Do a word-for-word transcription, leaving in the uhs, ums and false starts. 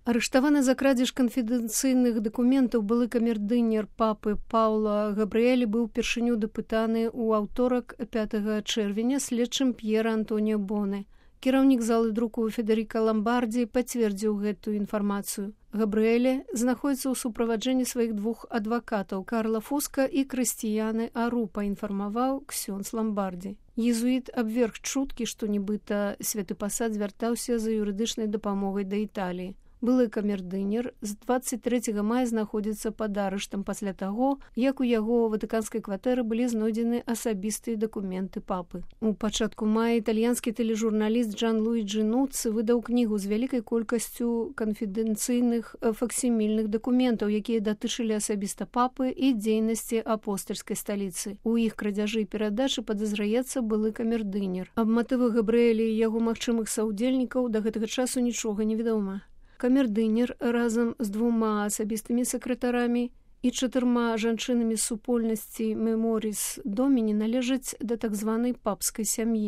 Арыштаваны за крадзеж канфідэнцыйных дакументаў былы камердынер папы Паўла Габрыэлі быў упершыню дапытаны ў аўторак пятага чэрвеня следчым П'ера Антоніо Боне. Кіраўнік залы друку Федэріка Ламбардзі пацвердзіў гэтую інфармацыю. Габрыэлі знаходзіцца ў суправаджэнні сваіх двух адвакатаў Карла Фуска і Крыстіяны Ару, паінфармаваў ксёндз Ламбардзі. Езуіт абверг чуткі, што нібыта святы пасад звяртаўся за юрыдычнай дапамогай да Італіі. Былы камердынер з дваццаць трэцяга мая знаходзіцца пад арыштам пасля таго, як у яго ватыканскай кватэры былі знойдзены асабістыя дакументы папы. У пачатку мая італьянскі тэлежурналіст Джан Луіджі Нуцци выдаў кнігу з вялікай колькасцю канфідэнцыйных факсімільных дакументаў, якія датычылі асабіста папы і дзейнасці апостальскай сталіцы. У іх крадзяжы і перадачы падазраецца былы камердынер. Аб матывах Габрыэлі і яго магчымых саўдзельнікаў да гэтага часу нічога не вядома. Камердынер разам з двума асабістымі сакратарамі і чатырма жанчынамі з супольнасці Меморіс Доміні належаць да так званай папскай сям'і.